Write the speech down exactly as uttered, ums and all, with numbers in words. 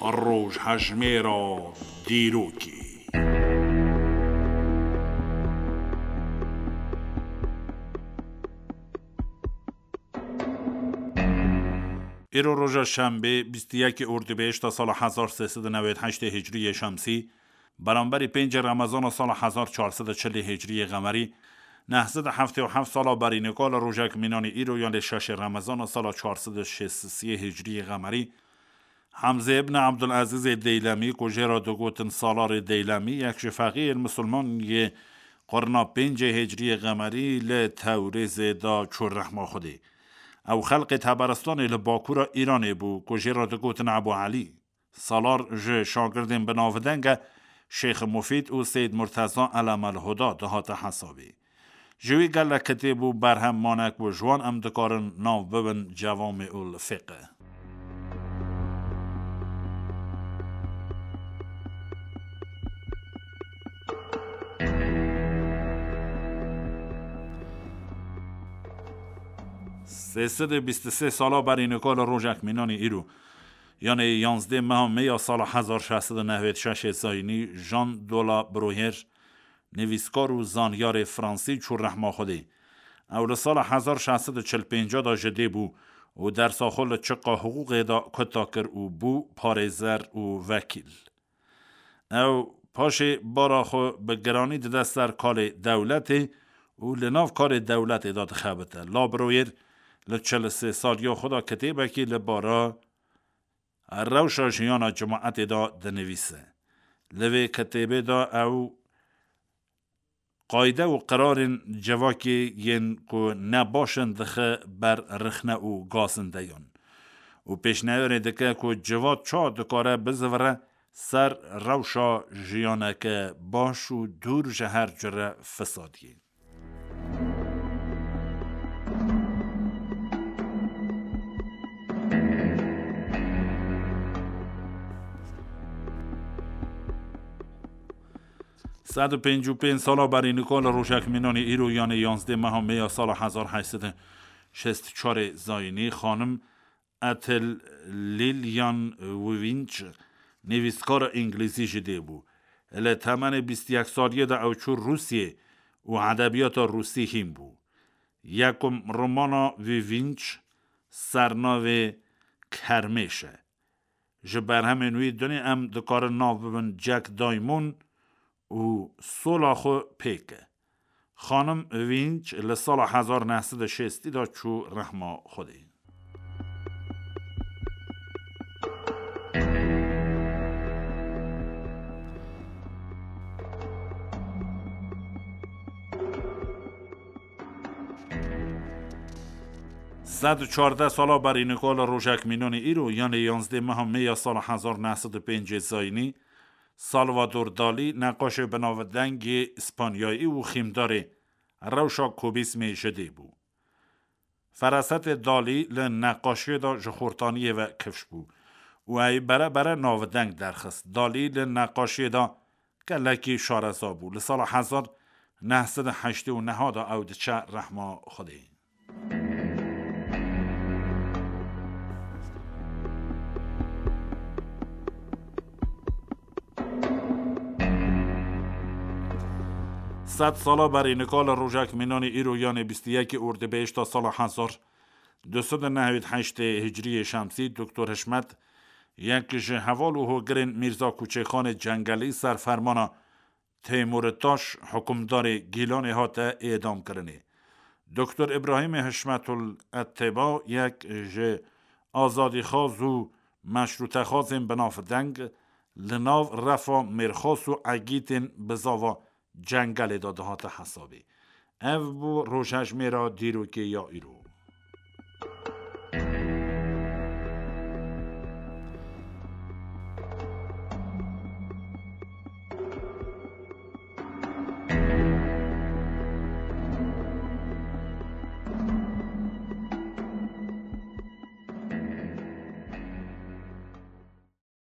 Rojhejmêra dîrokê. Îro roja şembê, bîst û yekê Ordubehişta sala hezar sê sed û newêd heştê Hicriyê Şemsî, beramberî pêncê Remezana sala hezar çar sed û çilê Hicriyê Qemerî, neh sed û heftê û heft sala berî nika li rojek mînanî îro, yanê şeşê Remezana sala çar sed û şêst û sê Hicriyê Qemerî, Hemze ibn Abdulazîzê Deylemî, ku jê re digotin Salarê Deylemî, yek ji feqîyên misilman yê qurna pêncê Hicriyê Qemerî, li Tewrêzê de çû rehma Xwedê. Ew xelqê Teberistanê li bakûra Îranê bû, ku jê re digotin Ebû Elî. Salar ji şagirdên binavdeng e Şêx Mufîd û Seyd Murteza Elemel Huda dihate hesabê. Ji wî gelek kitêb û berhem mane ku ji wan em dikarin nav bibin Cevamê ul Fiqh. Sê sed û bîst û sê sala berî nika li rojek mînanî îro, yanê yanzdê meha Mê ya sala hezar şeş sed û newêd şeşê Zayînî, Jean de la Bruyère, nivîskar û zanyarê fransî, çû rehma Xwedê. Ew li sala hezar şeş sed û çil pênc de ji dê bû û dersa xwe li çiqa hiqûqê de kuta kir û bû parêzer û vekîl. Ew paşê bara xwe bi giranî dide ser karê dewletê û li nav karê dewletê de dixebite. La Bruyère li çil û sê saliya xwe de kitêbekî li bara rewşa jiyana cemaetê de dinivîse. Li vê kitêbê de ew qayde û qirarên civakê yên ku ne baş in dixe ber rixne û gazindeyan û pêşniyarê dike ku civat çawa dikare bizivire ser rewşa jiyaneke baş û dûr ji her cure fisadiyê. Sed û pêncî û pênc sala berî nika li rojek mînanî îro, yanê yanzdê meha Mê ya sala hezar heşt sed û şêst û çarê Zayînî, xanim Ethel Lillian Winch, nivîskara îngilîzî ji dê bû. Li temenê bîst û yek saliyê de ew çû Rûsiyê û edebiyata rûsî hîn bû. Yekum romana Winch sernavê Kermêş e. Ji berhemên wî dinê em dikarin nav bibin Jack Diamond û Sola xwe pêke. Xanim Winch li sala hezar neh sed û şêstî de çû rehma Xwedê. Sed û çardeh sala berî nika li rojek mînanî îro, yanê yanzdê meha Mê ya sala hezar neh sed û pêncê Zayînî, Salvador Dalî, neqaşê binavdengê Îspanyayî û xîmdarê rewşa kubîsmê ji dê bû. Ferasetê Dalî li neqaşiyê de ji xortaniyê ve kifş bû û ey bere bere navdeng derxist. Dalî li neqaşiyê de gelekî şareza bû. Li sala hezar neh sed û heştê û neh de ew diçe rehma Xwedê. Sed sala berî nika li rojek mînanî îro, yanê bîst û yekê Ordibehişta sala hezar du sed û nehwêd heştê Hicriyê Şemsî, Doktor Hişmet, yek ji heval û hogirên Mîrza Kuçêxanê Cengelî, ser fermana Teymûrê Taş, hukimdarê Gîlanê, hate êdamkirinê. Doktor Îbrahîmê Hişmetul Etteba, yek ji azadîxwaz û meşrûtexwazên binavdeng, li nav refa mêrxas û egîtên bizava Cengelê de dihate hesabê. Ev bû rojhejmêra dîrokê ya îro.